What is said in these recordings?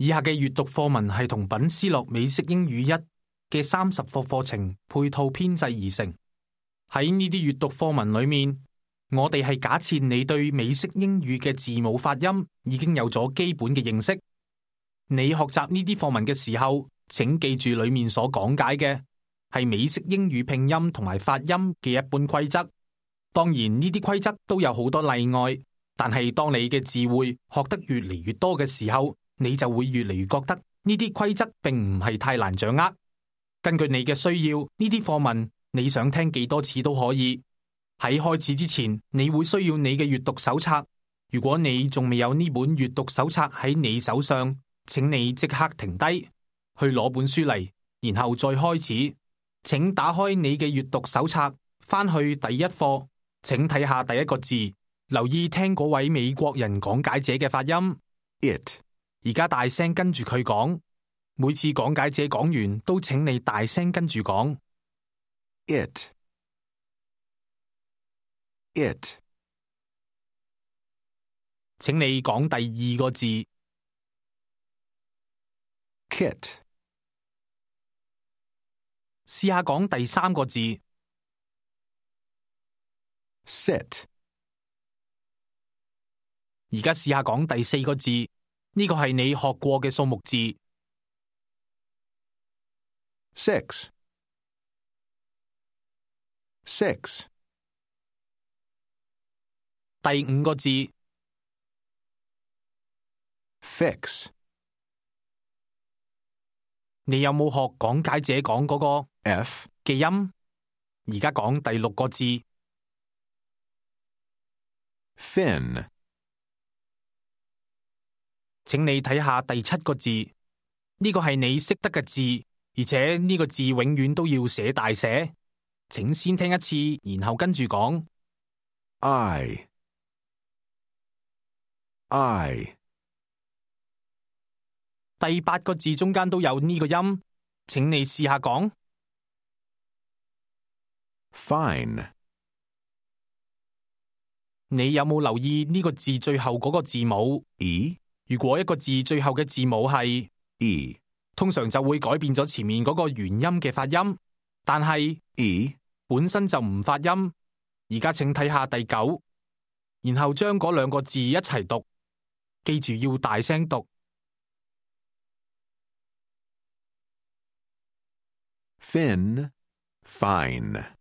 以下嘅閱讀課文係同品思樂美式英語1嘅30課課程配套編製而成。喺呢啲閱讀課文裏面，我哋係假設你對美式英語嘅字母發音已經有咗基本嘅認識。你學習呢啲課文嘅時候，請記住裏面所講解嘅係美式英語拼音同埋發音嘅一般規則。當然呢啲規則都有好多例外，但係當你嘅字彙學得越嚟越多嘅時候，你就會越嚟越覺得呢啲規則並唔係太難掌握。根據你嘅需要，呢啲課文你想聽幾多次都可以。喺開始之前，你會需要你嘅閱讀手冊。如果你仲未有呢本閱讀手冊喺你手上，請你即刻停低，去攞本書嚟，然後再開始。請打開你嘅閱讀手冊，翻去第一課，請睇下第一個字，留意聽嗰位美國人講解者嘅發音。It。而家大聲跟住佢講，每次講解者講完，都請你大聲跟住講。It。It。請你講第二個字。Kit。試下講第三個字。Sit。而家試下講第四個字，呢個係你學過嘅數目字。Six。Six。第五個字。Fix。你有冇學講解者講嗰個 F 嘅音？而家講第六個字。Fin。請你睇下第七個字，呢個係你識得嘅字，而且呢個字永遠都要寫大寫。請先聽一次，然後跟住講。I。第八個字中間都有呢個音，請你試下講。Fine。你有冇留意呢個字最後嗰個字母 E？如果一個字最後嘅字母係 E，通常就會改變咗前面嗰個元音嘅發音，但係 E 本身就唔發音。而家請睇下第9，然後將嗰兩個字一齊讀，記住要大聲讀。Fin。Fine。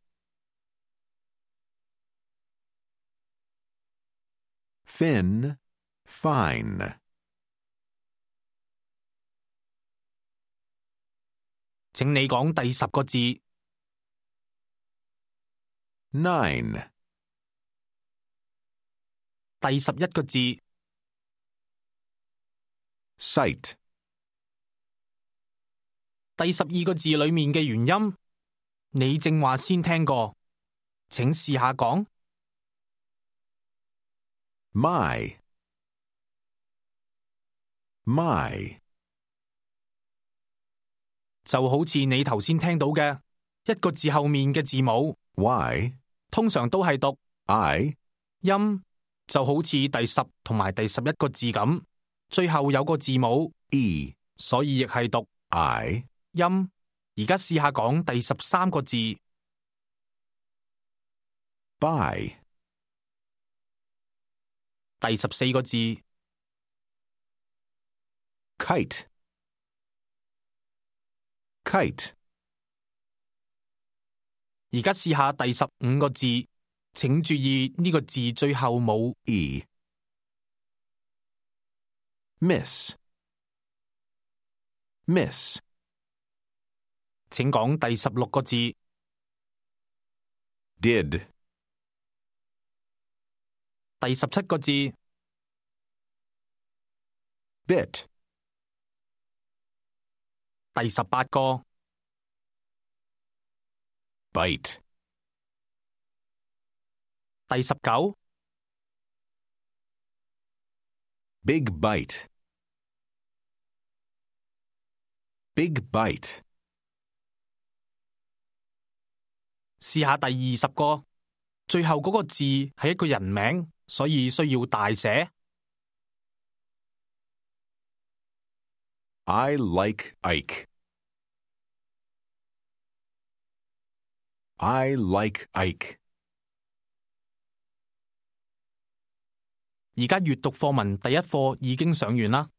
Fin。Fine。請你講第10個字。Nine。第11個字。Sight。第12個字裏面嘅元音，你正話先聽過，請試下講。My。就好似你頭先聽到嘅一個字後面嘅字母 Y。通常都係讀 I。音，就好似第10同埋第11個字咁，最後有個字母 E，所以亦係讀 I。音。而家試下講第13個字。By。第14個字。Kite。而家試下第15個字，請注意呢個字最後冇 E。Miss。請講第16個字。Did。第17個字。Bit。第18個。Bite。第19。Big bite。試下第20個，最後嗰個字係一個人名，所以需要大寫。I like Ike. I like Ike. 而家閱讀課文第一課已經上完啦。